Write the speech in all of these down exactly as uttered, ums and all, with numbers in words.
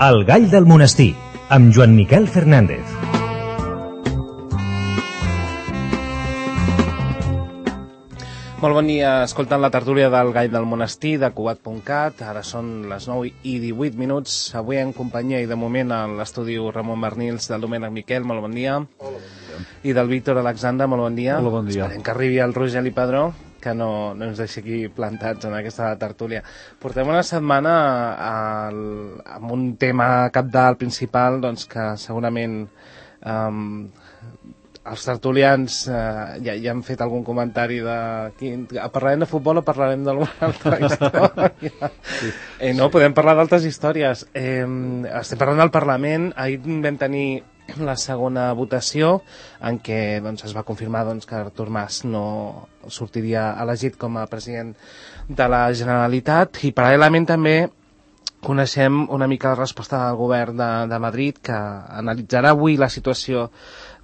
El gall del monestir, amb Joan Miquel Fernández. Molt bon dia, escoltant la tertúlia del Gall del Monestir de Cugat punt cat. Ara són les nou i divuit minuts. Avui en companyia i de moment a l'estudi Ramon Bernils, del Domènec Miquel, molt bon dia. Hola, bon dia. I del Víctor Alexandre, molt bon dia. Hola, bon dia. Esperem que arribi el Rogeli Padró, que no, no ens deixi aquí plantats en aquesta tertúlia. Portem una setmana al, amb un tema cabdal principal, doncs que segurament um, els tertulians eh, ja, ja han fet algun comentari de... Quin, parlarem de futbol o parlarem d'alguna altra història? Sí. Eh, no, podem parlar d'altres històries. Eh, estem parlant del Parlament. Ahir vam tenir la segona votació en què doncs, es va confirmar doncs, que Artur Mas no sortiria elegit com a president de la Generalitat, i paral·lelament també coneixem una mica la resposta del govern de, de Madrid, que analitzarà avui la situació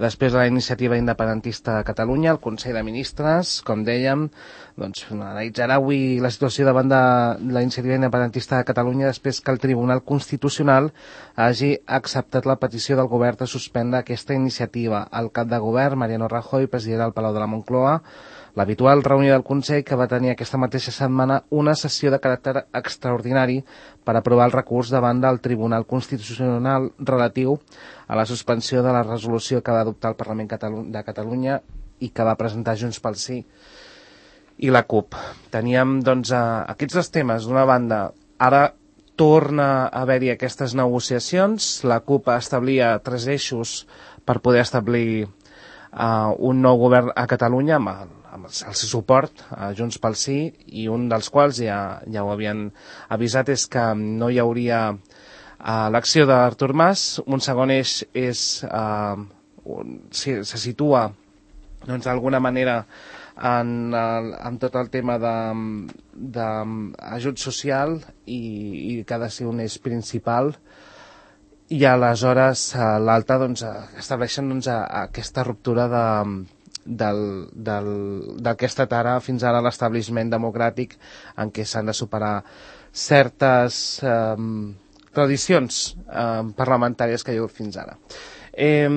després de la iniciativa independentista de Catalunya. El Consell de Ministres, com dèiem, doncs, analitzarà avui la situació davant de la iniciativa independentista de Catalunya després que el Tribunal Constitucional hagi acceptat la petició del govern de suspendre aquesta iniciativa. El cap de govern, Mariano Rajoy, presidirà el Palau de la Moncloa l'habitual reunió del Consell, que va tenir aquesta mateixa setmana una sessió de caràcter extraordinari per aprovar el recurs davant del Tribunal Constitucional relatiu a la suspensió de la resolució que va adoptar el Parlament de Catalunya i que va presentar Junts pel Sí i la CUP. Teníem doncs aquests dos temes. D'una banda, ara torna a haver-hi aquestes negociacions. La CUP establia tres eixos per poder establir uh, un nou govern a Catalunya amb el amb el seu suport a Junts pel Sí, i un dels quals ja, ja ho havien avisat és que no hi hauria uh, l'acció d'Artur Mas. Un segon eix és uh, un, si, se situa doncs d'alguna manera en, el, en tot el tema d'ajut social i, i que ha de ser un eix principal, i aleshores uh, l'altre doncs, estableixen doncs, a, a aquesta ruptura de del, del, del que ha estat ara fins ara l'establishment democràtic, en què s'han de superar certes eh, tradicions eh, parlamentàries que hi ha hagut fins ara. Eh,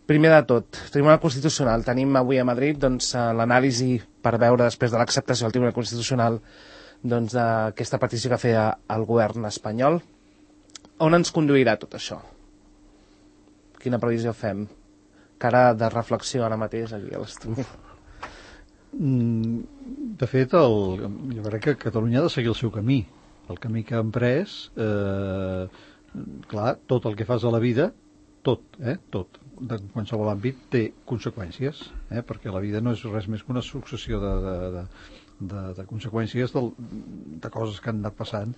primer de tot, Tribunal Constitucional. Tenim avui a Madrid doncs, l'anàlisi per veure, després de l'acceptació del Tribunal Constitucional, doncs, d'aquesta petició que feia el govern espanyol. On ens conduirà tot això? Quina previsió fem? Cara de reflexió ara mateix aquí a l'estudi. De fet, el, jo crec que Catalunya ha de seguir el seu camí. El camí que ha emprès, eh, clar, tot el que fas a la vida, tot, eh, tot, de qualsevol àmbit, té conseqüències, eh, perquè la vida no és res més que una successió de, de, de, de, de conseqüències del, de coses que han anat passant.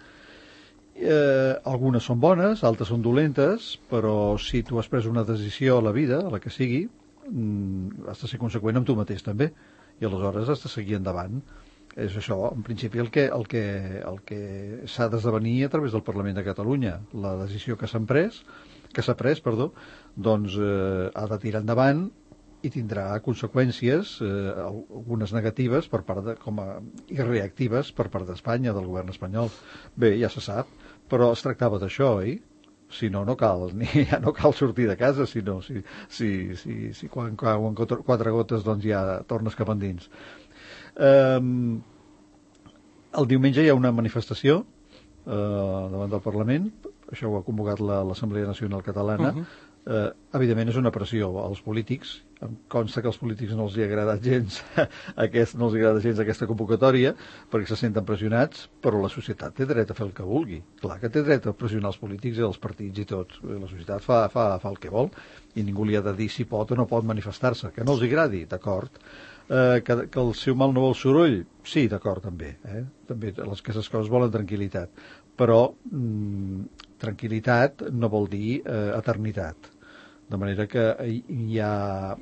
Eh, algunes són bones, altres són dolentes, però si tu has pres una decisió a la vida, a la que sigui, mm, has de ser conseqüent amb tu mateix també, i aleshores has de seguir endavant. És això, en principi, el que, el que, el que s'ha d'esdevenir a través del Parlament de Catalunya. La decisió que s'ha pres, que s'ha pres, perdó, doncs eh, ha de tirar endavant i tindrà conseqüències, eh, algunes negatives per part de, com a, i reactives per part d'Espanya, del govern espanyol. Bé, ja se sap, però es tractava d'això, oi? Si no, no cal, ni, ja no cal sortir de casa, sinó si, si, si, si quan cauen quatre gotes doncs ja tornes cap endins. Um, el diumenge hi ha una manifestació uh, davant del Parlament, això ho ha convocat l'Assemblea Nacional Catalana. Uh-huh. Uh, evidentment és una pressió als polítics. Em consta que als polítics no els hi agrada gens aquest, no els agrada gens aquesta convocatòria, perquè se senten pressionats, però la societat té dret a fer el que vulgui. Clar que té dret a pressionar els polítics i els partits i tots. La societat fa, fa, fa el que vol i ningú li ha de dir si pot o no pot manifestar-se. Que no els agradi, d'acord. Uh, que, que el seu mal no vol soroll, sí, d'acord, també. Eh? També les, aquestes coses volen tranquil·litat. Però mm, tranquil·litat no vol dir eh, eternitat. De manera que hi ha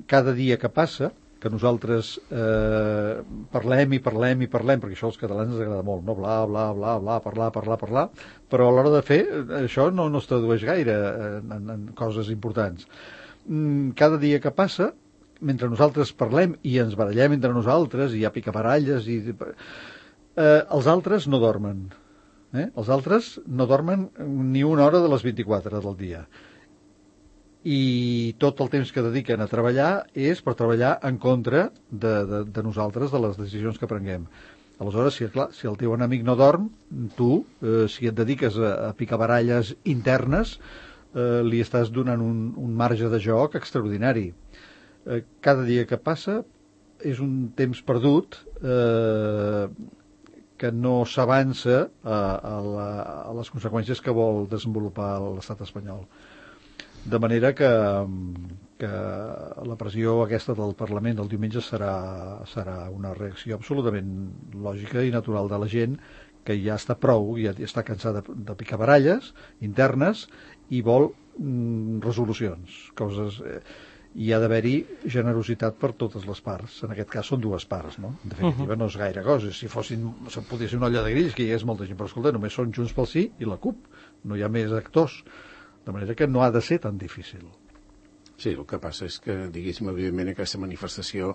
cada dia que passa que nosaltres eh, parlem i parlem i parlem, perquè això als catalans ens agrada molt, no? Bla, bla, bla, bla, parlar, parlar, parlar, però a l'hora de fer això no, no es tradueix gaire en, en, en coses importants. Cada dia que passa, mentre nosaltres parlem i ens barallem entre nosaltres i hi ha picabaralles i... Eh, els altres no dormen. Eh? Els altres no dormen ni una hora de les vint-i-quatre del dia. I tot el temps que dediquen a treballar és per treballar en contra de, de, de nosaltres, de les decisions que prenguem. Aleshores, si, clar, si el teu enemic no dorm, tu, eh, si et dediques a, a picar baralles internes, eh, li estàs donant un, un marge de joc extraordinari. Eh, cada dia que passa és un temps perdut eh, que no s'avança a, a, la, a les conseqüències que vol desenvolupar l'estat espanyol. De manera que, que la pressió aquesta del Parlament del diumenge serà, serà una reacció absolutament lògica i natural de la gent que ja està prou, ja està cansada de, de picar baralles internes i vol mm, resolucions, coses... Eh, hi ha d'haver-hi generositat per totes les parts. En aquest cas són dues parts, no? En definitiva, uh-huh. no és gaire cosa. Si fossin, podria ser una olla de grills, que hi és molta gent, però escolta, només són Junts pel Sí i la CUP. No hi ha més actors. De manera que no ha de ser tan difícil. Sí, el que passa és que, diguéssim, evidentment, aquesta manifestació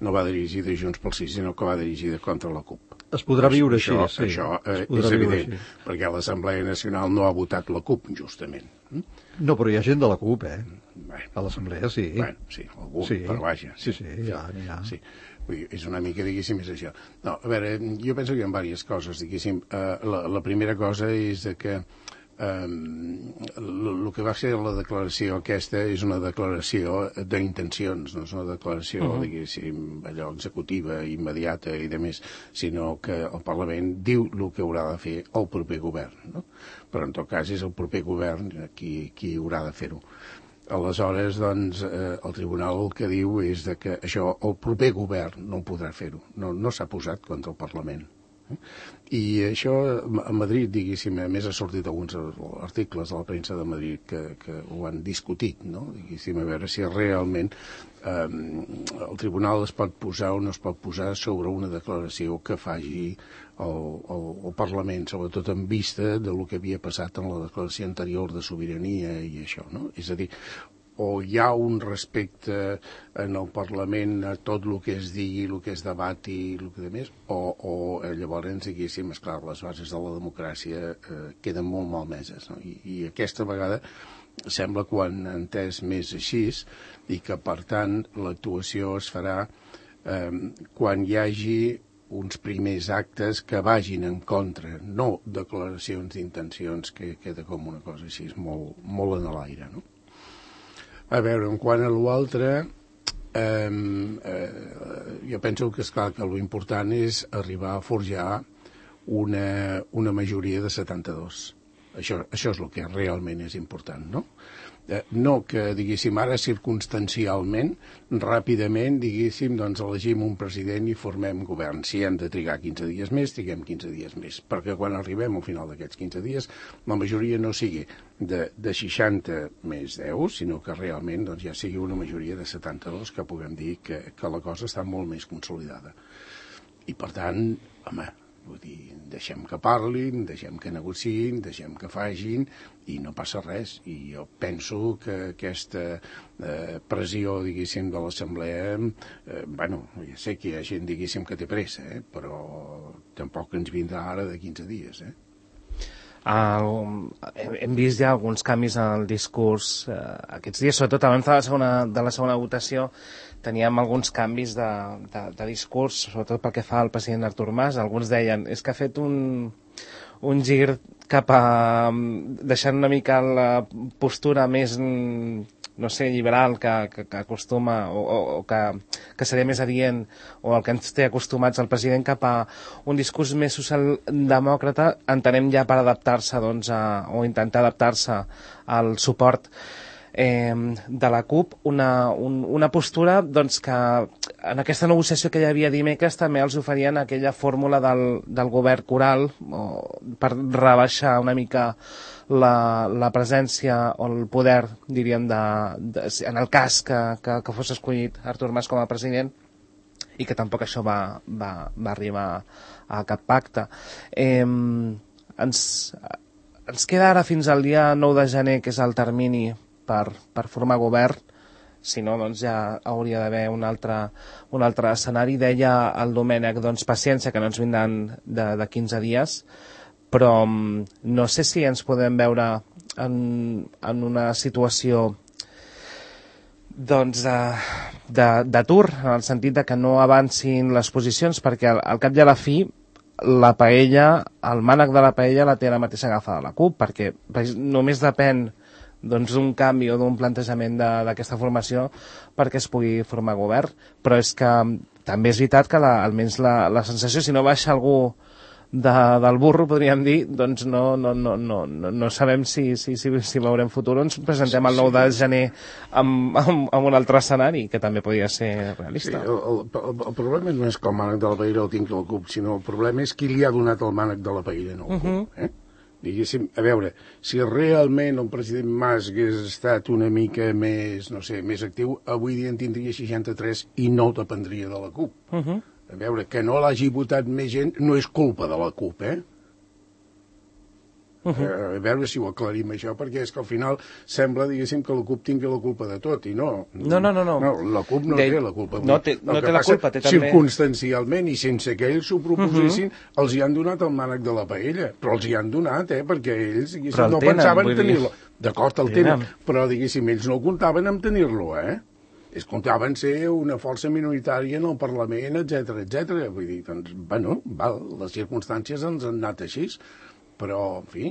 no va dirigida a Junts pel Sí, sinó que va dirigida contra la CUP. Es podrà viure això, així, sí. Això eh, és evident, així. Perquè l'Assemblea Nacional no ha votat la CUP, justament. No, però hi ha gent de la CUP, eh? Bé, a l'Assemblea, sí. Bueno, sí, algú, sí. Però vaja. Sí, sí, sí ja n'hi ha. Sí. Vull dir, és una mica, diguéssim, és això. No, a veure, jo penso que hi ha diverses coses, diguéssim. Uh, la, la primera cosa és que el que va ser la declaració aquesta és una declaració d'intencions, no és una declaració, uh-huh. diguéssim, allò executiva, immediata i de més, sinó que el Parlament diu el que haurà de fer el proper govern, no? Però en tot cas és el proper govern qui, qui haurà de fer-ho. Aleshores, doncs, eh, el tribunal el que diu és de que això el proper govern no podrà fer-ho, no, no s'ha posat contra el Parlament. I això a Madrid, diguéssim, a més ha sortit alguns articles de la premsa de Madrid que, que ho han discutit, no? Diguéssim, a veure si realment eh, el tribunal es pot posar o no es pot posar sobre una declaració que faci el, el, el Parlament, sobretot en vista de lo que havia passat en la declaració anterior de sobirania i això, no? És a dir, o hi ha un respecte en el Parlament a tot el que es digui, el que es debati, el que de més, o, o llavors, diguéssim, esclar, les bases de la democràcia eh, queden molt malmeses, no? I, I aquesta vegada sembla que ho han entès més així i que, per tant, l'actuació es farà eh, quan hi hagi uns primers actes que vagin en contra, no declaracions d'intencions, que queda com una cosa així molt, molt en l'aire, no? A veure, en quant a l'altre, eh, eh, jo penso que, esclar, que l'important és arribar a forjar una, una majoria de setanta-dos. Això, això és el que realment és important, no? Eh, no que, diguéssim, ara circumstancialment, ràpidament, diguéssim, doncs elegim un president i formem govern. Si hem de trigar quinze dies més, triguem quinze dies més, perquè quan arribem al final d'aquests quinze dies, la majoria no sigui de, de seixanta més deu, sinó que realment doncs, ja sigui una majoria de setanta-dos, que puguem dir que, que la cosa està molt més consolidada. I, per tant, home, vull dir, deixem que parlin, deixem que negociïn, deixem que facin i no passa res. I jo penso que aquesta eh, pressió, diguéssim, de l'Assemblea, eh, bueno, ja sé que hi ha gent, diguéssim, que té pressa, eh, però tampoc ens vindrà ara de quinze dies, eh? El, hem vist ja alguns canvis en el discurs eh, aquests dies, sobretot abans de la segona, de la segona votació teníem alguns canvis de, de, de discurs, sobretot pel que fa al president Artur Mas. Alguns deien, és que ha fet un, un gir cap a deixant una mica la postura més, no sé, liberal que, que, que acostuma o, o, o que, que seria més adient o el que ens té acostumats el president, cap a un discurs més socialdemòcrata, entenem ja per adaptar-se, doncs, a, o intentar adaptar-se al suport eh, de la CUP, una, un, una postura, doncs, que en aquesta negociació que hi havia dimecres també els oferien aquella fórmula del, del govern coral, o, per rebaixar una mica La, la presència o el poder, diríem, de, de, en el cas que, que, que fos escollit Artur Mas com a president, i que tampoc això va, va, va arribar a cap pacte. Eh, ens, ens queda ara fins al dia nou de gener, que és el termini per, per formar govern. Si no, doncs ja hauria d'haver un altre, un altre escenari. Deia el Domènec, doncs, paciència, que no ens vindran de, de quinze dies, però no sé si ens podem veure en, en una situació doncs d'atur, en el sentit de que no avancin les posicions, perquè al, al cap i a la fi la paella, el mànec de la paella la té la mateixa agafada la CUP, perquè només depèn doncs, d'un canvi o d'un plantejament d'aquesta formació perquè es pugui formar govern, però és que també és veritat que la, almenys la, la sensació, si no baixa algú de, del burro, podríem dir, doncs no, no, no, no, no, no sabem si, si, si, si veurem futur o ens presentem el nou de gener amb, amb, amb un altre escenari, que també podria ser realista. Sí, el, el, el problema no és que el mànec de la paella el tingui la CUP, sinó el problema és qui li ha donat el mànec de la paella no el CUP. Uh-huh. eh? Diguéssim, a veure, si realment el president Mas hagués estat una mica més, no sé, més actiu, avui dia en tindria seixanta-tres i no el dependria de la CUP. Uh-huh. A veure, que no l'hagi votat més gent no és culpa de la CUP, eh? Uh-huh. A veure si ho aclarim això, perquè és que al final sembla, diguéssim, que la CUP tingui la culpa de tot, i no. No, no, no. no. no la CUP no de... té la culpa. No té, no té la culpa, té també... Circumstancialment, i sense que ells s'ho proposessin, uh-huh. els hi han donat el mànec de la paella, però els hi han donat, eh, perquè ells, diguéssim, no tenen, pensaven tenir-lo. D'acord, el tenen, però, diguéssim, ells no comptaven amb tenir-lo, eh? Es comptaven ser una força minoritària en el Parlament, etcètera, etcètera. Vull dir, doncs, bueno, val, les circumstàncies ens han anat així, però, en fi,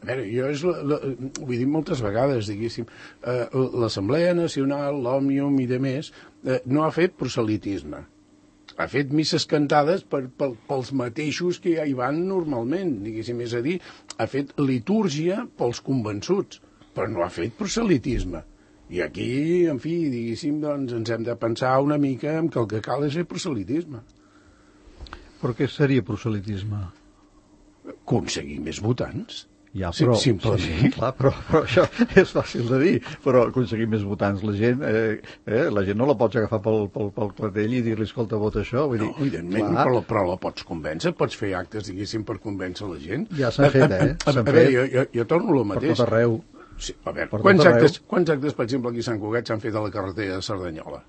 a veure, jo és la, la, ho he dit moltes vegades, diguéssim, eh, l'Assemblea Nacional, l'Òmnium i de més, eh, no ha fet proselitisme. Ha fet misses cantades per, per, pels mateixos que ja hi van normalment, diguéssim, és a dir, ha fet litúrgia pels convençuts, però no ha fet proselitisme. I aquí, en fi, diguéssim, doncs ens hem de pensar una mica en que el que cal és fer proselitisme. Però què seria proselitisme? Aconseguir més votants. Ja, però, sí, simplement. Sí, sí, clar, però, però això és fàcil de dir, però aconseguir més votants, la gent, eh, eh, la gent no la pots agafar pel, pel, pel clatell i dir-li, escolta, vota això. Vull dir, no, evidentment, però, però la pots convèncer, pots fer actes, diguéssim, per convèncer la gent. Ja s'han fet, eh? A, a, a, a veure, jo, jo, jo torno al mateix. Per tot arreu. Sí, a veure, quants actes, quants actes, per exemple, aquí a Sant Cugat s'han fet a la carretera de Cerdanyola?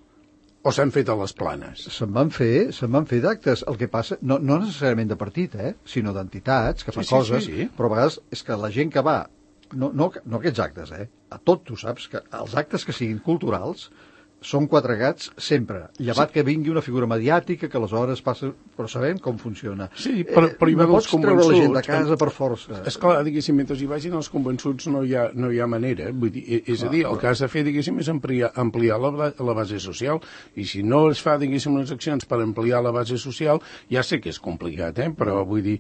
O s'han fet a les Planes? Se'n van fer, se'n van fer d'actes. El que passa, no, no necessàriament de partit, eh, sinó d'entitats que fan sí, sí, coses, sí, sí. Però a vegades és que la gent que va, no, no, no aquests actes, eh, a tot tu saps, que els actes que siguin culturals són quatre gats sempre, llevat sí. Que vingui una figura mediàtica que aleshores passa, però sabem com funciona. Sí, però, però hi eh, no pots treure la gent de casa per força. Esclar, diguéssim, mentre hi vagin els convençuts no hi ha, no hi ha manera. Vull dir, és a dir, el que has de fer, diguéssim, és ampliar, ampliar la, la base social, i si no es fa, diguéssim, unes accions per ampliar la base social, ja sé que és complicat, eh? Però vull dir,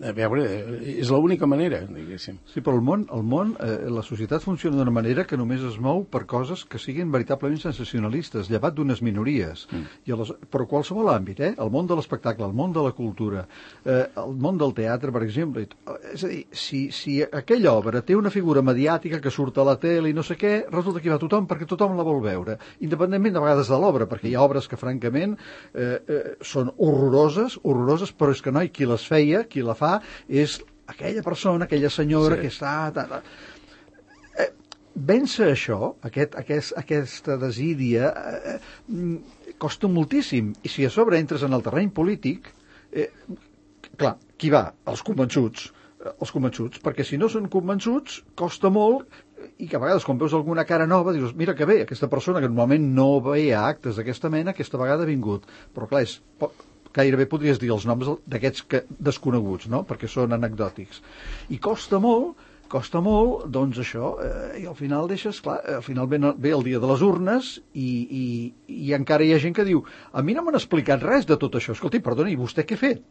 a veure, és l'única manera, diguéssim. Sí, però el món, el món eh, la societat funciona d'una manera que només es mou per coses que siguin veritablement sensacionalistes, llevat d'unes minories. Mm. I les, però qualsevol àmbit, eh? El món de l'espectacle, el món de la cultura, eh, el món del teatre, per exemple. És a dir, si, si aquella obra té una figura mediàtica que surt a la tele i no sé què, resulta que hi va tothom perquè tothom la vol veure, independentment de vegades de l'obra, perquè hi ha obres que, francament, eh, eh, són horroroses, horroroses, però és que no, i qui les feia, qui la fa, és aquella persona, aquella senyora sí. Que està... Ta, ta, vèncer això, aquest, aquest, aquesta desídia, eh, eh, costa moltíssim. I si a sobre entres en el terreny polític, eh, clar, qui va? Els convençuts. Eh, els convençuts, perquè si no són convençuts, costa molt, i que a vegades quan veus alguna cara nova dius, mira que bé, aquesta persona que normalment no veia actes d'aquesta mena, aquesta vegada ha vingut. Però clar, és, gairebé podries dir els noms d'aquests que, desconeguts, no? Perquè són anecdòtics. I costa molt costa molt, doncs això, eh, i al final deixes, clar, al final ve, ve el dia de les urnes i, i, i encara hi ha gent que diu, a mi no m'han explicat res de tot això, escolti, perdoni, i vostè què ha fet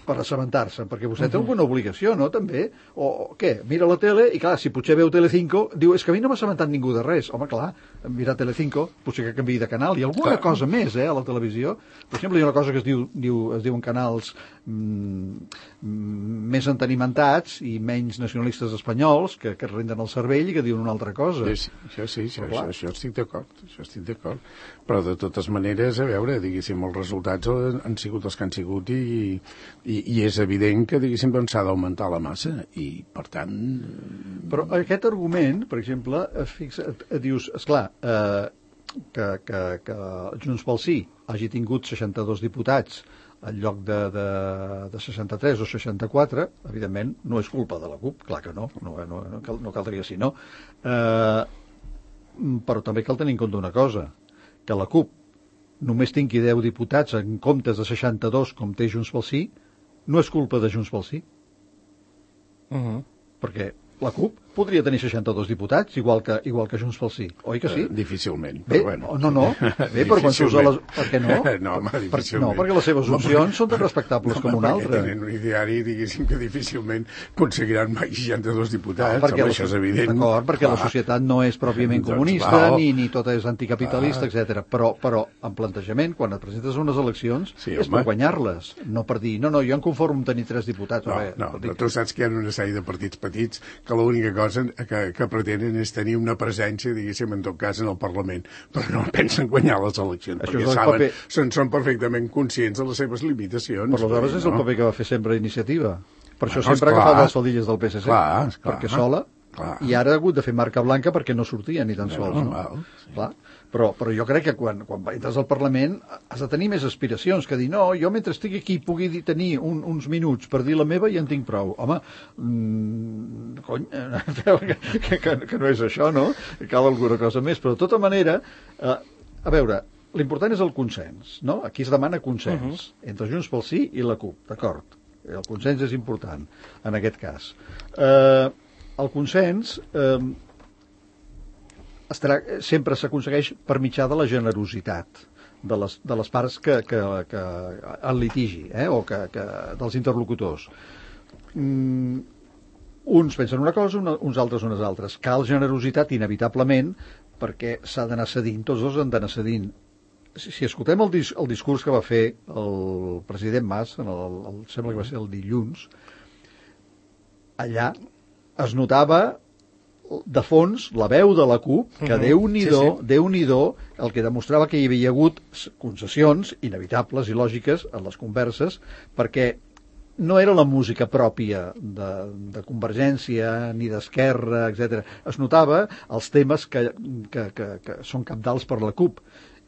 per assabentar-se? Perquè vostè uh-huh. té alguna obligació, no, també? O, o què? Mira la tele i, clar, si potser veu Telecinco, diu, és que a mi no m'ha assabentat ningú de res. Home, clar, mirar Telecinco, potser que canviï de canal, i alguna clar. Cosa més, eh, a la televisió. Per exemple, hi ha una cosa que es diu, diu es diuen canals mm, més entenimentats i menys nacionalistes espanyols que, que renden el cervell i que diuen una altra cosa. Sí, sí, això sí, això, això, això estic d'acord, això estic d'acord. Però de totes maneres, a veure, diguéssim, els resultats han sigut els que han sigut i, i, i és evident que, diguéssim, doncs s'ha d'augmentar la massa i, per tant... Però aquest argument, per exemple, fixa, dius, esclar, eh, que, que, que Junts pel Sí hagi tingut seixanta-dos diputats en lloc de, de, de seixanta-tres o seixanta-quatre, evidentment no és culpa de la CUP, clar que no, no, no, no, cal, no caldria si no. Eh, però també cal tenir en compte una cosa, que la CUP només tingui deu diputats en comptes de seixanta-dos com té Junts pel Sí, no és culpa de Junts pel Sí. Uh-huh. Perquè la CUP podria tenir seixanta-dos diputats, igual que, igual que Junts pel Sí, oi que sí? Uh, difícilment, Bé, però bueno. No, no, bé, però quan s'usa les... Per què no? No, home, per, difícilment. no, perquè les seves opcions són tan respectables no, com una altra. Perquè tenen un ideari, diguéssim, que difícilment aconseguiran mai seixanta-dos diputats, no, home, això és evident. D'acord, perquè clar. La societat no és pròpiament doncs, comunista, val. ni, ni tota és anticapitalista, etcètera. Però, però en plantejament, quan et presentes a unes eleccions, sí, és home. Per guanyar-les, no per dir, no, no, jo em conformo amb tenir tres diputats. No, bé, no, però tu saps que hi ha una sèrie de partits petits que l'única cosa que, que pretenen és tenir una presència, diguéssim, en tot cas, en el Parlament, però no pensen guanyar les eleccions, això perquè saben, paper... són, són perfectament conscients de les seves limitacions. Per aleshores no? És el paper que va fer sempre Iniciativa. Per això bueno, sempre ha agafat les faldilles del P S C, clar, clar, perquè sola, clar. I ara ha hagut de fer marca blanca perquè no sortia ni tan sols. No, no? Val, sí. Clar. Però, però jo crec que quan, quan entres al Parlament has de tenir més aspiracions que dir, no, jo mentre estigui aquí pugui dir, tenir un, uns minuts per dir la meva i en tinc prou. Home, mmm, cony, que, que, que no és això, no? Que cal alguna cosa més. Però de tota manera, eh, a veure, l'important és el consens, no? Aquí es demana consens uh-huh. entre Junts pel Sí i la CUP, d'acord? El consens és important, en aquest cas. Eh, el consens... Eh, Estarà, sempre s'aconsegueix per mitjà de la generositat de les, de les parts que, que, que el litigi, eh? O que, que, dels interlocutors. Mm, uns pensen una cosa, una, uns altres unes altres. Cal generositat inevitablement perquè s'ha d'anar cedint, tots dos han d'anar cedint. Si, si escoltem el, dis, el discurs que va fer el president Mas, en el, el, sembla que va ser el dilluns, allà es notava de fons la veu de la CUP, que uh-huh. Déu-n'hi-do, sí, sí. Déu-n'hi-do, el que demostrava que hi havia hagut concessions inevitables i lògiques en les converses, perquè no era la música pròpia de, de Convergència ni d'Esquerra, etcètera. Es notava els temes que, que, que, que són cabdals per la CUP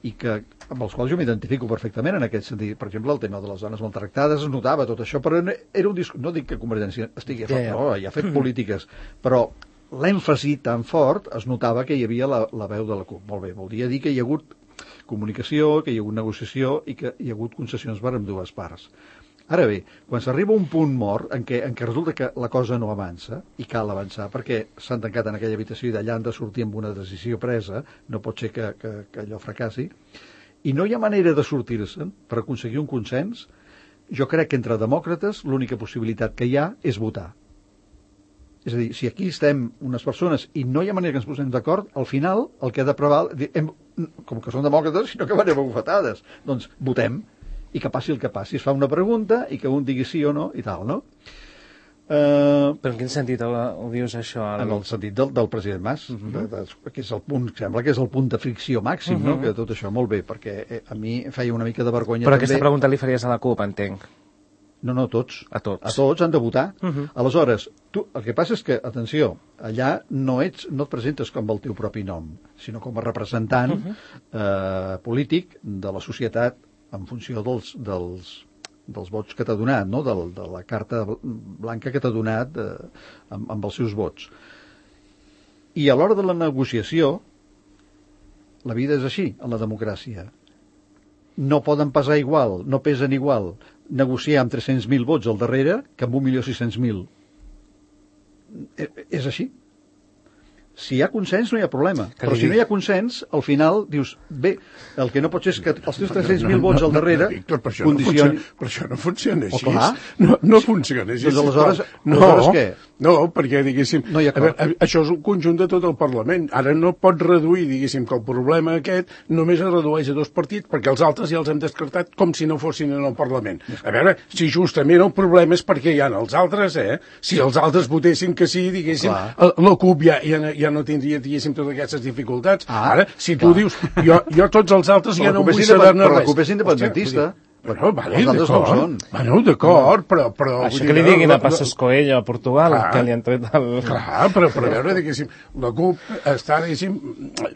i que, amb els quals jo m'identifico perfectament en aquest sentit. Per exemple, el tema de les dones maltractades, es notava tot això, però era un discurs... No dic que Convergència estigui a favor, yeah. no, ja ha fet polítiques, però l'èmfasi tan fort es notava que hi havia la, la veu de la CUP. Molt bé, voldria dir que hi ha hagut comunicació, que hi ha hagut negociació i que hi ha hagut concessions per ambdues parts. Ara bé, quan s'arriba a un punt mort en què, en què resulta que la cosa no avança, i cal avançar, perquè s'han tancat en aquella habitació i d'allà han de sortir amb una decisió presa, no pot ser que, que, que allò fracassi, i no hi ha manera de sortir-se'n per aconseguir un consens, jo crec que entre demòcrates l'única possibilitat que hi ha és votar. És a dir, si aquí estem unes persones i no hi ha manera que ens posem d'acord, al final el que ha de preval, hem, com que són demòcrates, sinó que van a bufetades, doncs votem, i que passi el que passi. Es fa una pregunta i que un digui sí o no, i tal, no? Uh, Però en quin sentit ho, ho dius, això? Ara? En el sentit del, del president Mas, uh-huh. de, de, que és el punt, sembla que és el punt de fricció màxim, uh-huh. no? Que tot això, molt bé, perquè eh, a mi feia una mica de vergonya. Però també. Aquesta pregunta li faries a la CUP, entenc. No, no, tots. A tots. A tots han de votar. Uh-huh. Aleshores, tu, el que passa és que, atenció, allà no ets, no et presentes com el teu propi nom, sinó com a representant uh-huh. eh, polític de la societat en funció dels, dels, dels vots que t'ha donat, no? de, de la carta blanca que t'ha donat eh, amb, amb els seus vots. I a l'hora de la negociació, la vida és així, en la democràcia. No poden pesar igual, no pesen igual negociar amb tres-cents mil vots al darrere que amb un milió sis-cents mil. És així. Si hi ha consens no hi ha problema, que però si no hi ha consens al final dius, bé, el que no pot ser és que els teus tres-cents mil vots al darrere Víctor, per això condicioni... no funciona, per això no funciona així. Oh, no, no funciona així. Doncs aleshores, no, aleshores què? No, perquè, diguéssim, no a veure, això és un conjunt de tot el Parlament. Ara no pots reduir, diguéssim, que el problema aquest només es redueix a dos partits, perquè els altres ja els hem descartat com si no fossin en el Parlament. A veure, si justament el problema és perquè hi ha els altres, eh? Si els altres votessin que sí, diguéssim, Clar. la CUP ja, ja, ja no tindria, diguéssim, totes aquestes dificultats. Ah, Ara, si tu clar. dius, jo, jo tots els altres ja no vull saber-ne res. Però la CUP és independentista. Bueno, vale, els altres no ho d'acord. són. Bueno, d'acord, però... però Això vull que li dir, diguin la- a Passos Coelho a Portugal, Clar. que li han tret el... Clar, però, però a veure, diguéssim, la CUP està, diguéssim,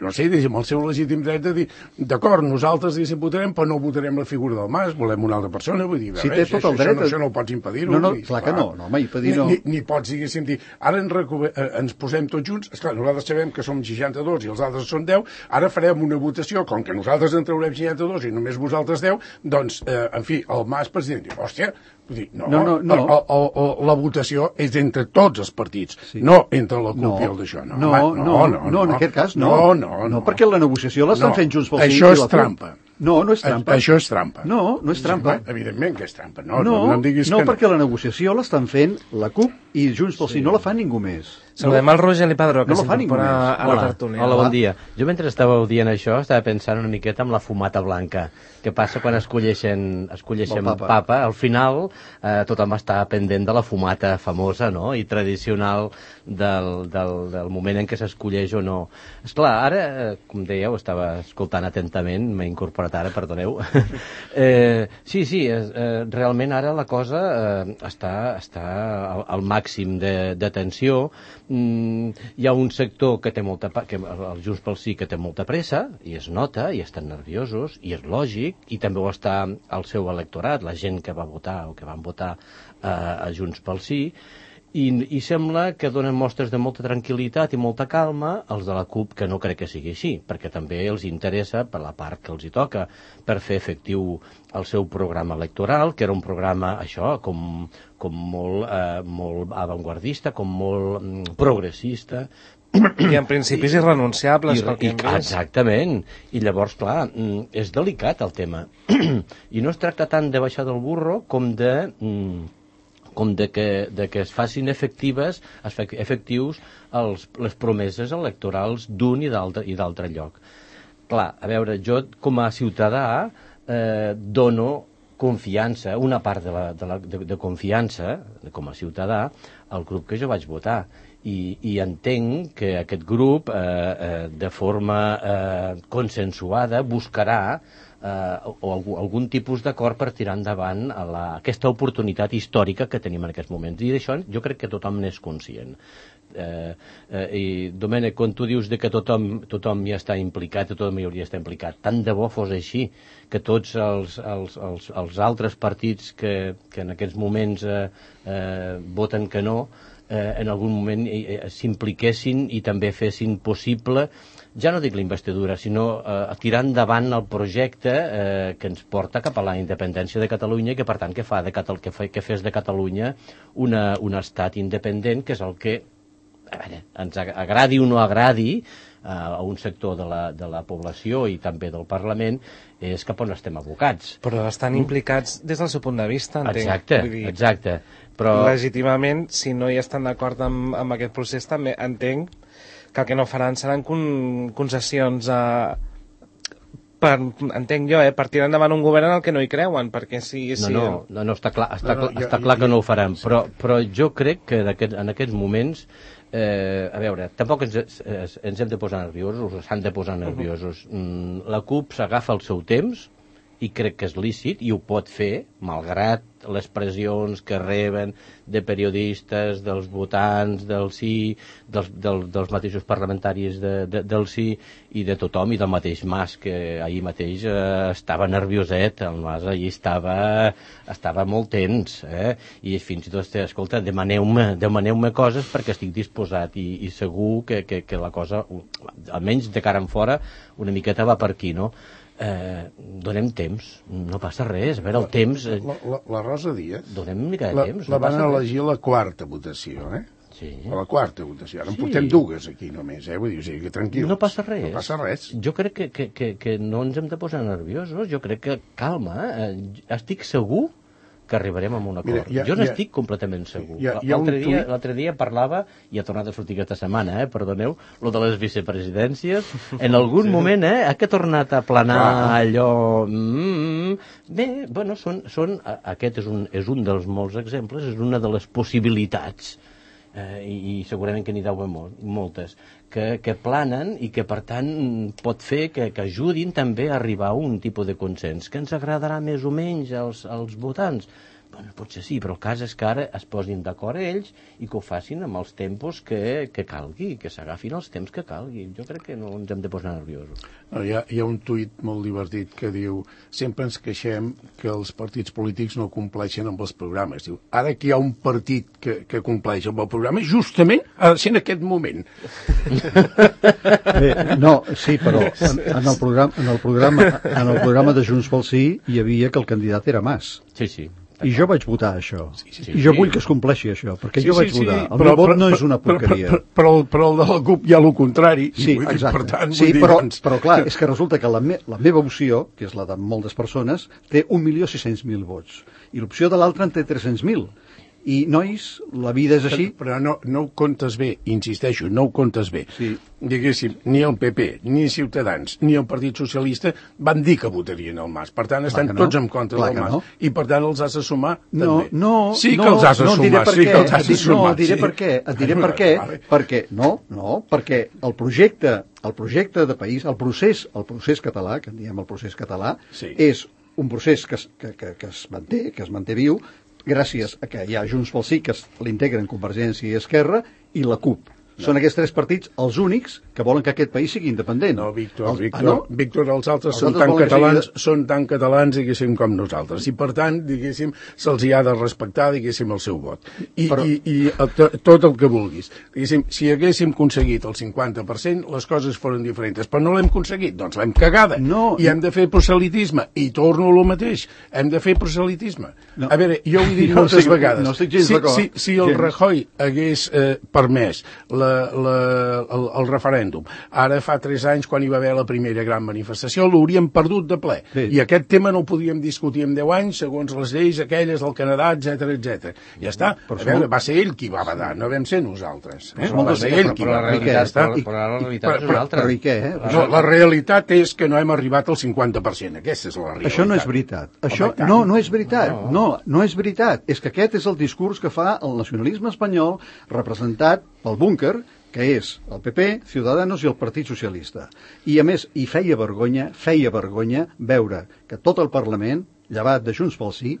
no sé, diguéssim, el seu legítim dret de dir, d'acord, nosaltres, diguéssim, votarem, però no votarem la figura del Mas, volem una altra persona, vull dir, Sí, res, té tot això, el dret. Això, no, això no ho pots impedir. No, no, vull dir, clar que no, no, home, impedir no. Ni, ni, ni pots, diguéssim, dir, ara ens, recu- eh, ens posem tots junts, esclar, nosaltres sabem que som seixanta-dos i els altres són deu, ara farem una votació, com que nosaltres en traurem seixanta-dos i només vosaltres deu, doncs, eh, en fi, el Mas president diu, hòstia, vull dir, no, No, no, no. El, el, el, la votació és entre tots els partits, Sí. no entre la CUP No, i el d'això. No, no, home, no, no, no, en aquest cas no. No, no, no. No, perquè la negociació l'estan No, fent Junts pel Sí això i és la CUP. trampa. No, no és trampa. A, això és trampa. No, no és trampa. Sí, evidentment que és trampa. No, No, no, no em diguis no, que no. perquè la negociació l'estan fent la CUP i Junts pel Sí, no la fa ningú més. Saludem el Roger Lipadró, que No la fa ningú s'incorpora més. a la Hola, tertúlia. hola, bon dia. Jo mentre estàveu dient això estava pensant una miqueta en la fumata blanca. Què passa quan escolleixen, escolleixen El papa. papa? Al final eh, tothom està pendent de la fumata famosa, no?, i tradicional del, del, del moment en què s'escolleix o no. Esclar, ara, eh, com dèieu, estava escoltant atentament, m'he incorporat ara, perdoneu. eh, sí, sí, és, eh, realment ara la cosa eh, està, està al, al màxim de, de tensió. Mm, hi ha un sector que té molta, pa- que el Junts pel Sí, que té molta pressa, i es nota, i estan nerviosos, i és lògic, i també ho està el seu electorat, la gent que va votar o que van votar eh, a Junts pel Sí, i, i sembla que donen mostres de molta tranquil·litat i molta calma els de la CUP, que no crec que sigui així, perquè també els interessa, per la part que els hi toca, per fer efectiu el seu programa electoral, que era un programa, això, com, com molt, eh, molt avantguardista, com molt mm, progressista, I en principis irrenunciables, i, pel que i, hem vist. exactament. I llavors, clar, mm, és delicat el tema. I no es tracta tant de baixar del burro com de, mm, com de que, de que es facin efectives, es fe- efectius els, les promeses electorals d'un i d'altre i d'altre lloc. Clar, a veure, jo com a ciutadà eh, dono confiança, una part de, la, de, la, de, de confiança, com a ciutadà, al grup que jo vaig votar. I, i entenc que aquest grup, eh, eh, de forma eh, consensuada, buscarà eh, o algú, algun tipus d'acord per tirar endavant a la, aquesta oportunitat històrica que tenim en aquests moments. I d'això jo crec que tothom n'és conscient. Eh, eh, I, Domènec, quan tu dius de que tothom, tothom hi està implicat, tothom hi hauria d'estar implicat, tant de bo fos així, que tots els, els, els, els altres partits que, que en aquests moments eh, eh, voten que no, eh, en algun moment eh, s'impliquessin i també fessin possible, ja no dic la investidura, sinó eh, tirar endavant el projecte eh, que ens porta cap a la independència de Catalunya i que, per tant, que, fa de Catal que, fa, que fes de Catalunya una, un estat independent, que és el que, a veure, ens agradi o no agradi eh, a un sector de la, de la població i també del Parlament, és cap on estem abocats. Però estan implicats des del seu punt de vista, entenc. Exacte, Vull dir, exacte. Però... legítimament, si no hi estan d'acord amb, amb aquest procés, també entenc que el que no faran seran con concessions a... Per, entenc jo, eh, per tirar endavant un govern en el que no hi creuen, perquè si... No, si no, no, no, està clar, està, No, no, clar, jo- està jo- clar que jo- no ho faran, però, però jo crec que en, aquest, en aquests moments, eh, a veure, tampoc ens, ens, ens hem de posar nerviosos, s'han de posar nerviosos. Mm, la CUP s'agafa el seu temps, i crec que és lícit, i ho pot fer, malgrat les pressions que reben de periodistes, dels votants del sí, dels, del, dels mateixos parlamentaris de, de, del sí, i de tothom, i del mateix Mas, que ahir mateix eh, estava nervioset, el Mas ahir estava, estava molt tens, eh? I fins i tot, escolta, demaneu-me demaneu-me coses perquè estic disposat, i, i segur que, que, que la cosa, almenys de cara en fora, una miqueta va per aquí, no? Eh, donem temps, no passa res, a veure, el temps... Eh, La, la, la Rosa Díaz donem una mica de la, temps, la no van passa res. elegir a la quarta votació, eh? Sí. A la quarta votació. Ara en Sí. portem dues aquí només, eh? Vull dir, o sigui, que tranquils. No passa res. No passa res. Jo crec que, que, que, que no ens hem de posar nerviosos, jo crec que, calma, eh, estic segur que arribarem a un acord. Mira, hi ha- jo hi ha- n'estic completament segur. hi ha- hi ha un L'altre dia, tuit- l'altre dia parlava, i ha tornat a sortir aquesta setmana, eh, perdoneu, lo de les vicepresidències, en algun sí. moment, eh, ha que tornat a planar Clar. allò... Mm, bé, bueno, són, són, a- aquest és un, és un dels molts exemples, és una de les possibilitats. eh, i, i segurament que n'hi deu haver molt, moltes, que, que planen i que, per tant, pot fer que, que ajudin també a arribar a un tipus de consens, que ens agradarà més o menys als, als votants. Bueno, potser sí, però el cas és que ara es posin d'acord ells i que ho facin amb els tempos que, que calgui, que s'agafin els temps que calgui. Jo crec que no ens hem de posar nerviosos. No, hi, ha, hi ha un tuit molt divertit que diu sempre ens queixem que els partits polítics no compleixen amb els programes. Diu, ara que hi ha un partit que, que compleix amb el programa, justament ha de ser en aquest moment. Bé, no, sí, però en, en, el programa, en, el programa, en el programa de Junts pel Sí hi havia que el candidat era Mas. Sí, sí. I jo vaig votar això. Sí, sí, I jo sí. vull que es compleixi això, perquè Sí, jo vaig sí, sí, votar. El però, meu vot però, no és una però, porqueria. Però, però, però, però el de la CUP hi ha el contrari. Sí, vull dir, exacte. per tant, sí, vull dir, però, doncs... però clar, és que resulta que la, me, la meva opció, que és la de moltes persones, té un milió sis-cents mil vots. I l'opció de l'altra en té tres-cents mil. I, nois, la vida és així. Però no, no ho comptes bé, insisteixo, no ho comptes bé. Sí. Diguéssim, ni el P P, ni Ciutadans, ni el Partit Socialista van dir que votarien el Mas. Per tant, estan Clar que no. tots en contra Clar del que Mas. no. I per tant els has de sumar No, també. no, sí no, que els has de no, sumar, diré per sí què. que els has de No, sumar. diré sí. per què, et diré per què, Vale. perquè, no, no, perquè el projecte, el projecte de país, el procés, el procés català, que en diem el procés català, Sí. és un procés que, es- que, que, que es manté, que es manté viu, gràcies a que hi ha Junts pel Sí, que es- l'integren Convergència i Esquerra, i la CUP. No. Són aquests tres partits els únics que volen que aquest país sigui independent. No, Víctor, Els- Víctor, ah, no? Víctor, els altres Els són altres tan volen que catalans, sigui són tan catalans, diguéssim, com nosaltres. I, per tant, diguéssim, se'ls hi ha de respectar, diguéssim, el seu vot. I, Però- i, i el- tot el que vulguis. Diguéssim, si haguéssim aconseguit el cinquanta per cent, les coses foren diferents. Però no l'hem aconseguit, doncs l'hem cagada. No, I hem de fer proselitisme. I torno a lo mateix. Hem de fer proselitisme. No. A veure, jo ho he dit Jo moltes estic- vegades. no estic gens si, d'acord. si, si el Gens. Rajoy hagués eh, permès la, la, el, el referèndum, ara fa tres anys, quan hi va haver la primera gran manifestació, l'hauríem perdut de ple. Sí. I aquest tema no ho podíem discutir en deu anys, segons les lleis aquelles del Canadà, etc etc. Ja està. Però A veure, molt- va ser ell qui va badar, no vam ser nosaltres. Eh? Però molt Va de- ser però- ell qui però va la badar. realitat, Ja està. però, però la realitat Però- és una altra. Però i què, eh? No, la realitat és que no hem arribat al cinquanta per cent. Aquesta és la realitat. Això no és veritat. Això, Home, i tant. no, no és veritat. No, no és veritat. És que aquest és el discurs que fa el nacionalisme espanyol representat pel búnquer, que és el P P, Ciudadanos i el Partit Socialista. I, a més, hi feia vergonya, feia vergonya veure que tot el Parlament, llevat de Junts pel Sí,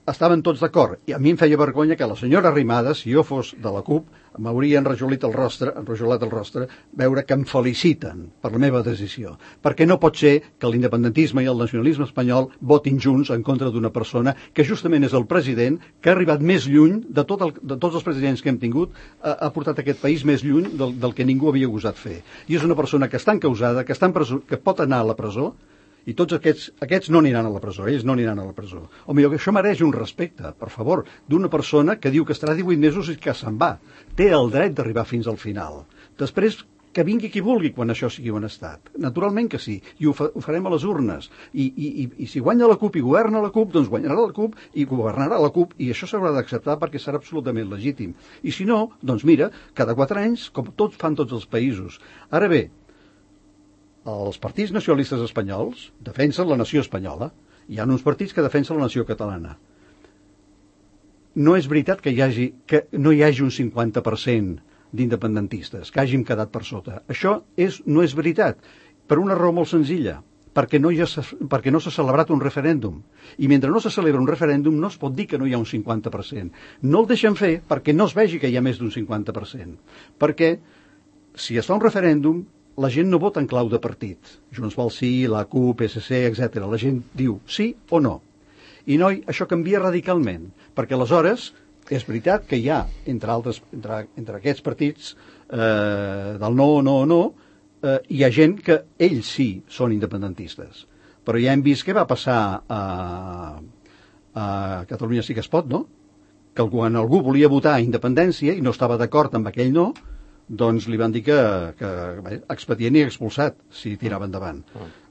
estaven tots d'acord. I a mi em feia vergonya que la senyora Arrimadas, si jo fos de la CUP, m'hauria enrajolit el rostre, enrajolat el rostre, veure que em feliciten per la meva decisió. Perquè no pot ser que l'independentisme i el nacionalisme espanyol votin junts en contra d'una persona que justament és el president que ha arribat més lluny de, tot el, de tots els presidents que hem tingut, ha, ha portat aquest país més lluny del, del que ningú havia gosat fer. I és una persona que està encausada, que, està en presó, que pot anar a la presó, i tots aquests, aquests no aniran a la presó, ells no aniran a la presó. O millor, que això mereix un respecte, per favor, d'una persona que diu que estarà divuit mesos i que se'n va. Té el dret d'arribar fins al final. Després, que vingui qui vulgui quan això sigui un estat. Naturalment que sí, i ho, fa, ho farem a les urnes. I, i, i, I si guanya la CUP i governa la CUP, doncs guanyarà la CUP i governarà la CUP, i això s'haurà d'acceptar perquè serà absolutament legítim. I si no, doncs mira, cada quatre anys, com tots fan tots els països. Ara bé, els partits nacionalistes espanyols defensen la nació espanyola. Hi ha uns partits que defensen la nació catalana. No és veritat que, hi hagi, que no hi hagi un cinquanta per cent d'independentistes, que hàgim quedat per sota. Això és, no és veritat, per una raó molt senzilla, perquè no, hi ha, perquè no s'ha celebrat un referèndum. I mentre no se celebra un referèndum no es pot dir que no hi ha un cinquanta per cent. No el deixen fer perquè no es vegi que hi ha més d'un cinquanta per cent. Perquè si es fa un referèndum, la gent no vota en clau de partit. Junts pel Sí, la CUP, P S C, etcètera. La gent diu sí o no. I noi, això canvia radicalment, perquè aleshores és veritat que hi ha, entre, altres, entre, entre aquests partits eh, del no, no, no, eh, hi ha gent que ells sí són independentistes. Però ja hem vist què va passar a, a Catalunya Sí que es pot, no? Que quan algú volia votar independència i no estava d'acord amb aquell no, doncs li van dir que, que bé, expedient i expulsat si tirava endavant.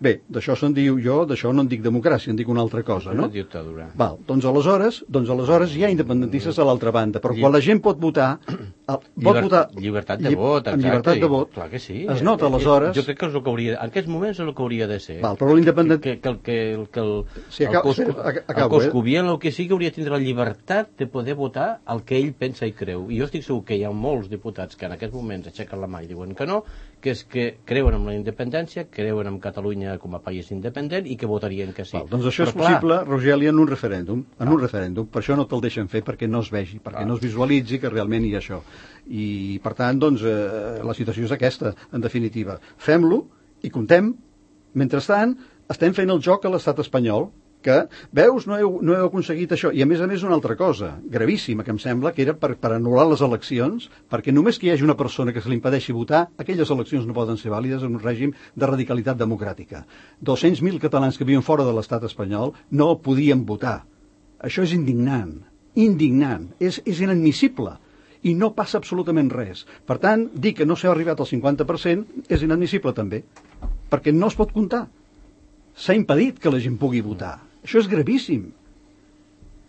Bé, d'això se'n diu jo, d'això no en dic democràcia, en dic una altra cosa, no? Una dictadura. Val, doncs aleshores, doncs aleshores hi ha independentistes a l'altra banda, però quan la gent pot votar, El, Lliber, votar, llibertat de vot, exacte. Amb llibertat de vot. Clar que sí. Es nota, aleshores... Jo crec que és el que hauria... En aquests moments és el que hauria de ser. Val, però l'independent... Que, que, que, el, que el, sí, el, acabo, cos, acabo, el coscovian, el que sí que hauria de tindre la llibertat de poder votar el que ell pensa i creu. I jo estic segur que hi ha molts diputats que en aquests moments aixequen la mà i diuen que no, que és que creuen en la independència, creuen en Catalunya com a país independent i que votarien que sí. Val, doncs això però, és possible, clar, Rogeli, en un referèndum. En un referèndum. Per això no te'l deixen fer, perquè no es vegi, perquè clar, no es visualitzi que realment hi ha això. I, per tant, doncs, eh, la situació és aquesta, en definitiva. Fem-lo i comptem. Mentrestant, estem fent el joc a l'estat espanyol, que, veus, no heu, no heu aconseguit això. I, a més a més, una altra cosa, gravíssima, que em sembla, que era per, per anul·lar les eleccions, perquè només que hi hagi una persona que se li impedeixi votar, aquelles eleccions no poden ser vàlides en un règim de radicalitat democràtica. dos-cents mil catalans que viuen fora de l'estat espanyol no podien votar. Això és indignant. Indignant. És, és inadmissible. I no passa absolutament res. Per tant, dir que no s'ha arribat al cinquanta per cent és inadmissible també, perquè no es pot comptar. S'ha impedit que la gent pugui votar. Això és gravíssim.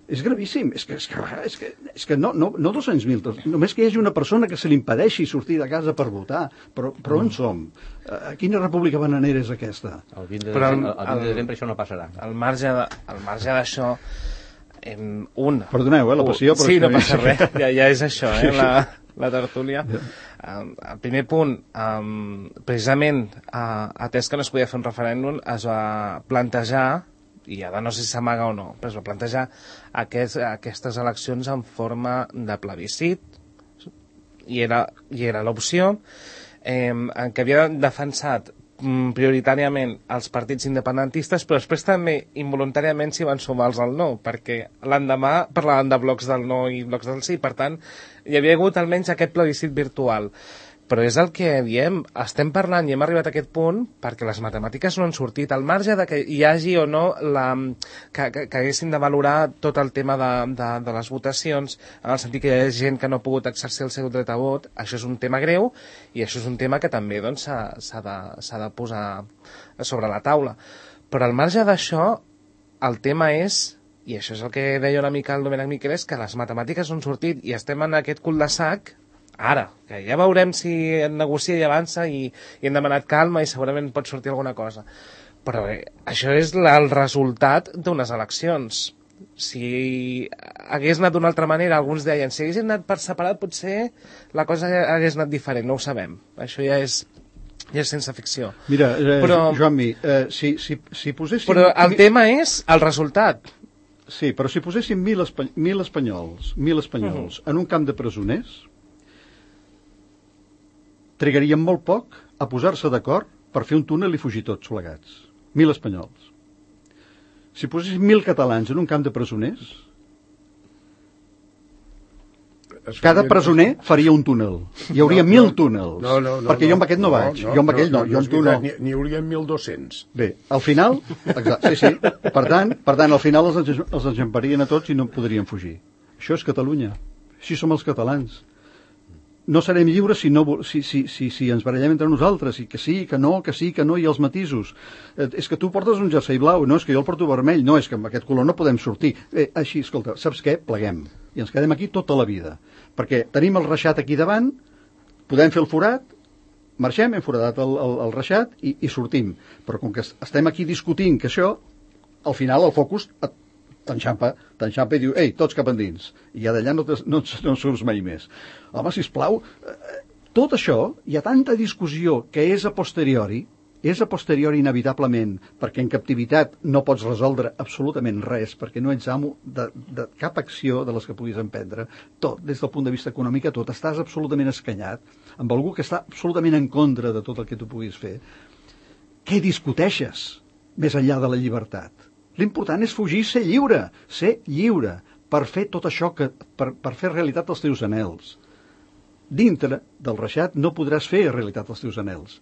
És gravíssim. És que, és que, és que, és que no, no, no dos-cents mil, només que hi hagi una persona que se li impedeixi sortir de casa per votar. Però, però on som? A quina república bananera és aquesta? El vint de desembre, el, el, el desembre això no passarà. Al marge de, al marge d'això, Em, un. Perdoneu, eh, la passió, però... Sí, no passa res, ja, ja és això, eh, sí, sí. la, la tertúlia. Um, el primer punt, um, precisament, uh, atès que no es podia fer un referèndum, es va plantejar, i ara no sé si s'amaga o no, però es va plantejar aquest, aquestes eleccions en forma de plebiscit, i era, i era l'opció eh, en què havia defensat prioritàriament els partits independentistes, però després també involuntàriament s'hi van sumar els del no, perquè l'endemà parlaven de blocs del no i blocs del sí, per tant hi havia hagut almenys aquest plebiscit virtual. Però és el que diem, estem parlant i hem arribat a aquest punt perquè les matemàtiques no han sortit, al marge de que hi hagi o no la, que, que, que haguessin de valorar tot el tema de, de, de les votacions, en el sentit que hi ha gent que no ha pogut exercir el seu dret a vot. Això és un tema greu i això és un tema que també doncs, s'ha, s'ha, de, s'ha de posar sobre la taula. Però al marge d'això, el tema és, i això és el que deia una mica el Domènec Miquelès, que les matemàtiques no han sortit i estem en aquest cul de sac ara, que ja veurem si negocia i avança i, i hem demanat calma i segurament pot sortir alguna cosa. Però bé, això és la, el resultat d'unes eleccions. Si hagués anat d'una altra manera, alguns deien, si hagués anat per separat potser la cosa hagués anat diferent, no ho sabem. Això ja és, ja és sense ficció. Mira, eh, però, Joanmi, eh, si, si, si poséssim... Però el tema és el resultat. Sí, però si poséssim mil, espa mil espanyols, mil espanyols uh-huh. en un camp de presoners, trigarien molt poc a posar-se d'acord per fer un túnel i fugir tots plegats. Mil espanyols. Si posessin mil catalans en un camp de presoners, cada presoner faria un túnel. Hi hauria no, mil túnels. No, no, no, perquè jo amb aquest no, no vaig. No, jo amb aquell no, no, jo amb tu no. N'hi hauria mil dos-cents. Bé, al final... Exacte, sí, sí. Per tant, per tant, al final els, els enxamparien a tots i no podrien fugir. Això és Catalunya. Així som els catalans. No serem lliures si, no, si, si, si, si ens barallem entre nosaltres, i que sí, que no, que sí, que no, i els matisos. Eh, és que tu portes un jersei blau, no, és que jo el porto vermell, no, és que amb aquest color no podem sortir. Eh, així, escolta, saps què? Pleguem. I ens quedem aquí tota la vida. Perquè tenim el reixat aquí davant, podem fer el forat, marxem, hem foradat el, el, el reixat i, i sortim. Però com que estem aquí discutint que això, al final el focus t'enxampa, t'enxampa i diu, ei, tots cap endins. I ja d'allà no, no, no surts mai més. Home, sisplau, eh, tot això, hi ha tanta discussió que és a posteriori, és a posteriori inevitablement, perquè en captivitat no pots resoldre absolutament res, perquè no ets amo de, de cap acció de les que puguis emprendre. Tot, des del punt de vista econòmic, tot. Estàs absolutament escanyat amb algú que està absolutament en contra de tot el que tu puguis fer. Què discuteixes més enllà de la llibertat? L'important és fugir, ser lliure, ser lliure, per fer tot això, que, per, per fer realitat els teus anhels. Dintre del reixat no podràs fer realitat els teus anhels.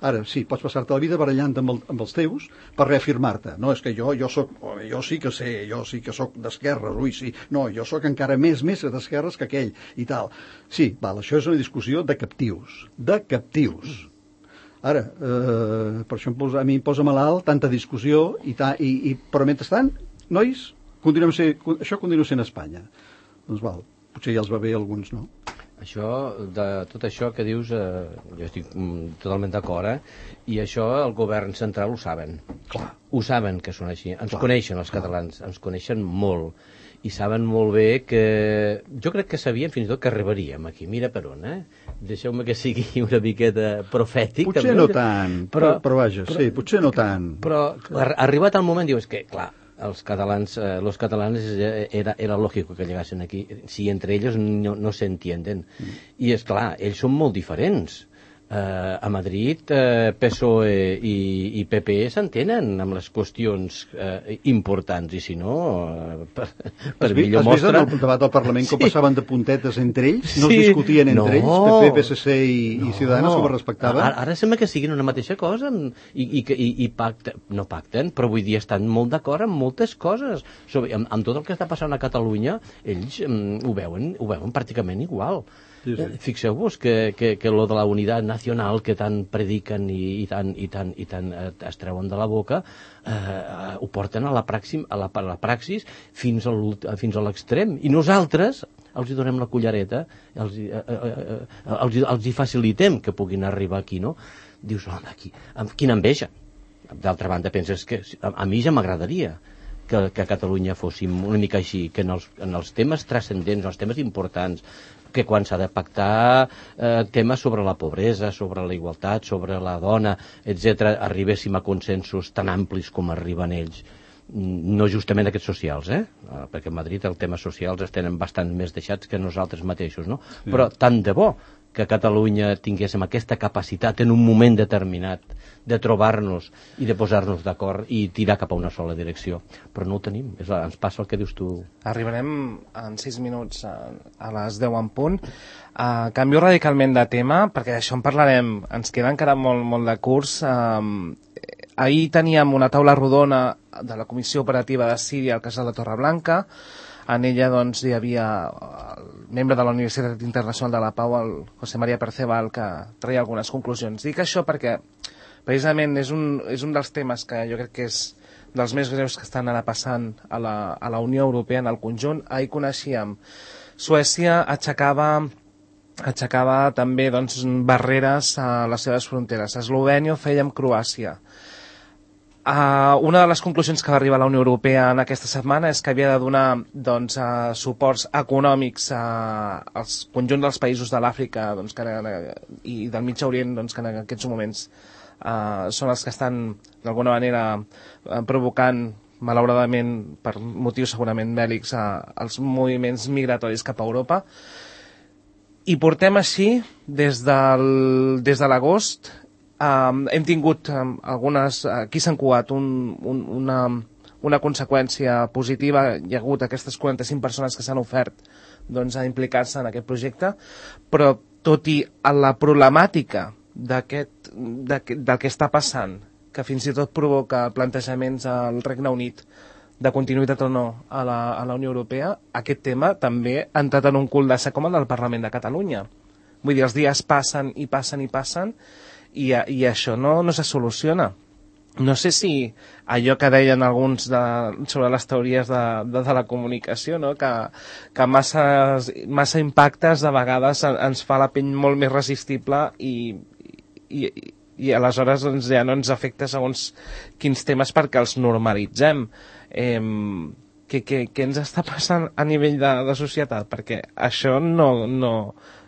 Ara, sí, pots passar-te la vida barallant amb, el, amb els teus per reafirmar-te. No, és que jo, jo, soc, jo sí que sé, jo sí que soc d'esquerres, ui, sí. No, jo soc encara més, més d'esquerres que aquell, i tal. Sí, val, això és una discussió de captius, de captius. Ara, eh, per això em posa, a mi em posa malalt tanta discussió, i ta, i, i, però mentrestant, nois, continuem ser, això continua sent Espanya. Doncs val, potser ja els va bé a alguns, no? Això, de tot això que dius, eh, jo estic mm, totalment d'acord, eh? I això el govern central ho saben. Clar. Ho saben que són així. Ens Clar. coneixen els catalans, ens coneixen molt. I saben molt bé que... Jo crec que sabien fins i tot que arribaríem aquí. Mira per on, eh? Deixeu-me que sigui una miqueta profètic. Potser també. no tant, però, però vaja, però, sí, potser no tant. Però ar arribat al moment dius que, clar, els catalans, eh, los catalanes era, era lògic que llegassen aquí, si entre ells no, no se entienden. Mm. I és clar, ells són molt diferents. Eh, a Madrid, eh, P S O E i, i P P E s'entenen amb les qüestions eh, importants, i si no, eh, per, per has millor has mostra... Has vist en el debat del Parlament sí. que passaven de puntetes entre ells? No sí. es discutien entre no. ells, P P, P S C i, no. i Ciudadanos, com es respectaven? Ara, ara sembla que siguin una mateixa cosa i, i, i, i pacten, no pacten, però vull dir, estan molt d'acord amb moltes coses. Sobre, amb, amb tot el que està passant a Catalunya, ells um, ho, veuen, ho veuen pràcticament igual. Sí, sí. Eh, fixeu-vos que, que, que lo de la unitat nacional que tant prediquen i, i tant, i tant, i tant eh, es treuen de la boca, eh, eh, ho porten a la, praxi, a la, a la praxis fins a fins a l'extrem. I nosaltres els hi donem la cullereta, els, eh, eh, eh, els, els hi facilitem que puguin arribar aquí, no? Dius, home, aquí, amb quina enveja. D'altra banda, penses que a, a mi ja m'agradaria que, que a Catalunya fóssim una mica així, que en els, en els temes transcendents, els temes importants, que quan s'ha de pactar eh, temes sobre la pobresa, sobre la igualtat, sobre la dona, etcètera, arribéssim a consensos tan amplis com arriben ells. No justament aquests socials, eh? Perquè a Madrid els temes socials es tenen bastant més deixats que nosaltres mateixos, no? Sí. Però tant de bo que a Catalunya tinguéssim aquesta capacitat en un moment determinat de trobar-nos i de posar-nos d'acord i tirar cap a una sola direcció. Però no ho tenim, és, ens passa el que dius tu. Arribarem en sis minuts a, a les deu en punt. Uh, canvio radicalment de tema, perquè d'això en parlarem, ens queda encara molt, molt de curs. Uh, ahir teníem una taula rodona de la Comissió Operativa de Síria al Casal de Torreblanca. En ella doncs, hi havia el membre de la Universitat Internacional de la Pau, el José María Perceval, que treia algunes conclusions. Dic això perquè precisament és un, és un dels temes que jo crec que és dels més greus que estan ara passant a la, a la Unió Europea en el conjunt. Ahir coneixíem Suècia aixecava, aixecava també doncs, barreres a les seves fronteres. Eslovènia ho feia amb Croàcia. Uh, una de les conclusions que va arribar a la Unió Europea en aquesta setmana és que havia de donar doncs, uh, suports econòmics uh, als conjunt dels països de l'Àfrica doncs, que, uh, i del Mig Orient doncs, que en aquests moments uh, són els que estan d'alguna manera uh, provocant malauradament per motius segurament bèl·lics uh, els moviments migratoris cap a Europa. I portem així des, del, des de l'agost. Um, hem tingut um, algunes, aquí s'han coat un, un, una, una conseqüència positiva, hi ha hagut aquestes quaranta-cinc persones que s'han ofert doncs, a implicar-se en aquest projecte, però tot i la problemàtica d'aquest, del que està passant, que fins i tot provoca plantejaments al Regne Unit de continuïtat o no a la, a la Unió Europea, aquest tema també ha entrat en un cul de sac com el del Parlament de Catalunya. Vull dir, els dies passen i passen i passen, I, i això no, no se soluciona. No sé si allò que deien alguns de, sobre les teories de, de, de la comunicació, no? que, que massa, massa impactes de vegades ens fa la pell molt més resistible i, i, i aleshores doncs, ja no ens afecta segons quins temes perquè els normalitzem. Eh, què, què, què ens està passant a nivell de, de societat? Perquè això no, no,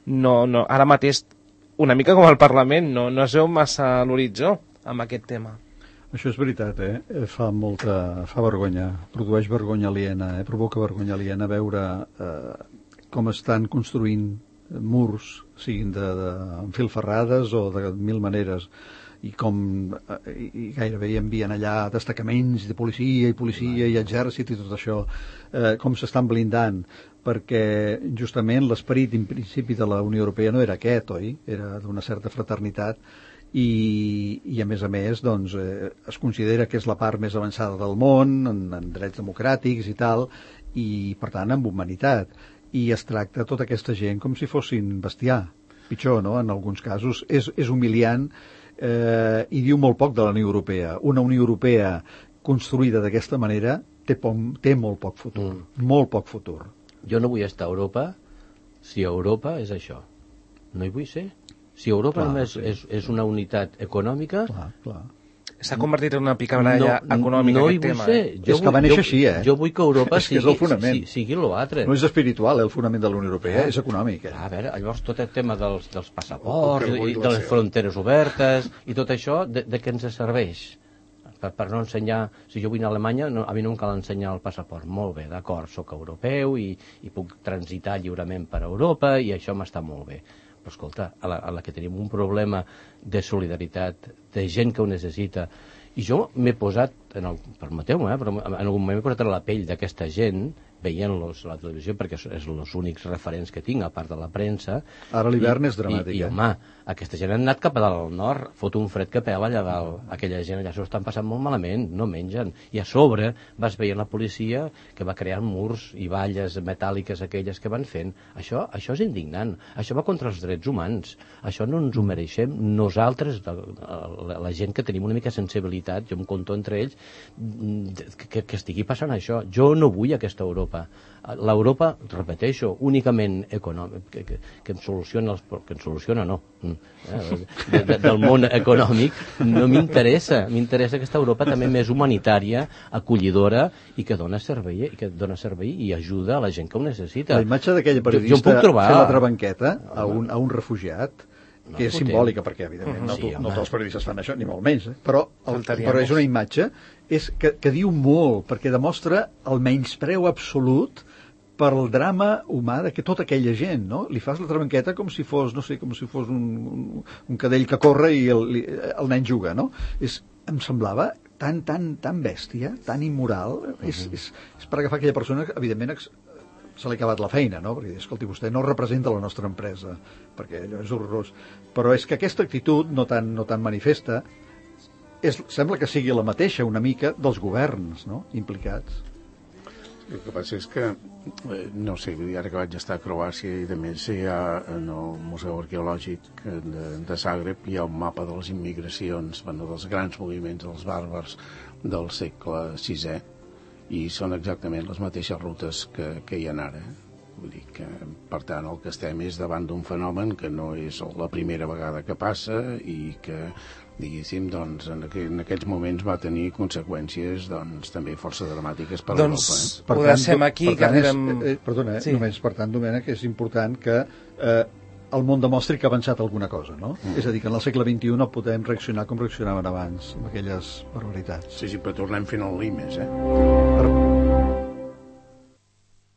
no, no ara mateix una mica com el Parlament, no, no es veu massa a l'horitzó amb aquest tema. Això és veritat, eh? Fa molta... fa vergonya, produeix vergonya aliena, eh? Provoca vergonya aliena veure eh, com estan construint murs, siguin de, de filferrades o de mil maneres, i com eh, i gairebé hi envien allà destacaments de policia i policia i exèrcit i tot això, eh, com s'estan blindant, perquè justament l'esperit en principi de la Unió Europea no era aquest, oi? Era d'una certa fraternitat i, i a més a més doncs, eh, es considera que és la part més avançada del món en, en drets democràtics i tal, i per tant amb humanitat, i es tracta tota aquesta gent com si fossin bestiar, pitjor, no? En alguns casos és, és humiliant eh, i diu molt poc de la Unió Europea. Una Unió Europea construïda d'aquesta manera té, poc, té molt poc futur, mm. molt poc futur. Jo no vull estar a Europa si Europa és això. No hi vull ser. Si Europa Clar, només sí, és, és una unitat econòmica... Clar, clar. S'ha convertit en una picabaralla no, econòmica no aquest tema. Ser. Eh? Jo és que va vull, néixer jo, així, eh? Jo vull que Europa és que sigui, és el fonament. sigui, sigui l'altre. No és espiritual, eh, el fonament de la Unió Europea, és econòmic. Eh? A veure, llavors tot el tema dels, dels passaports El- el i que de les ser. fronteres obertes i tot això, de, de què ens serveix? Per, per no ensenyar... Si jo vull anar a Alemanya, no, a mi no em cal ensenyar el passaport. Molt bé, d'acord, sóc europeu i, i puc transitar lliurement per Europa i això m'està molt bé. Però escolta, a la, a la que tenim un problema de solidaritat, de gent que ho necessita, i jo m'he posat, en el, permeteu-me, eh, però en algun moment m'he posat a la pell d'aquesta gent, veient-los a la televisió, perquè és els únics referents que tinc, a part de la premsa. Ara l'hivern I- és dramàtic, I, i eh? home, aquesta gent ha anat cap a dalt al nord, fot un fred que pela allà dalt. Aquella gent allà s'ho estan passant molt malament, no mengen. I a sobre vas veient la policia que va creant murs i valles metàl·liques aquelles que van fent. Això, això és indignant. Això va contra els drets humans. Això no ens ho mereixem nosaltres, la, la, la gent que tenim una mica sensibilitat, jo em conto entre ells, que, que estigui passant això. Jo no vull aquesta Europa. L'Europa, repeteixo, únicament econòmic, que, que, que em soluciona, els, que em soluciona no, eh, de, de, del món econòmic, no m'interessa. M'interessa aquesta Europa també més humanitària, acollidora i que dona servei i que dona servei i ajuda a la gent que ho necessita. La imatge d'aquella Jo- jo em periodista puc trobar... fent la trabanqueta a un, a un refugiat, No, que és fotem. simbòlica, perquè evidentment no, Sí, to- home. no tots els periodistes fan això, ni molt menys, eh? però, el, Faltaria però més. és una imatge és que, que diu molt, perquè demostra el menyspreu absolut pel drama humà de que tota aquella gent, no? Li fas la trabanqueta com si fos, no sé, com si fos un, un, un cadell que corre i el, li- el nen juga, no? És, em semblava tan, tan, tan bèstia, tan immoral, uh-huh. és, és, és per agafar aquella persona que, evidentment, ex- se li ha acabat la feina, no? Perquè, escolti, vostè no representa la nostra empresa, perquè allò és horrorós. Però és que aquesta actitud, no tan, no tan manifesta, és, sembla que sigui la mateixa, una mica, dels governs, no?, implicats. El que passa és que, eh, no sé, vull dir, ara que vaig estar a Croàcia i de més hi ha en el Museu Arqueològic de, de Zagreb hi ha un mapa de les immigracions, bueno, dels grans moviments dels bàrbars del segle sisè, i són exactament les mateixes rutes que, que hi ha ara. Vull dir que, per tant, el que estem és davant d'un fenomen que no és la primera vegada que passa i que, diguéssim, doncs, en, aqu en aquests moments va tenir conseqüències doncs, també força dramàtiques per Doncs Europa. Eh? ho deixem aquí, per que tant, és, anirem... eh, perdona, eh, Sí. només per tant, Domènec, és important que eh, el món demostri que ha avançat alguna cosa, no? Mm. És a dir, que en el segle vint-i-u no podem reaccionar com reaccionaven abans, amb aquelles barbaritats. Sí, sí, però tornem fent el limes, eh? Per,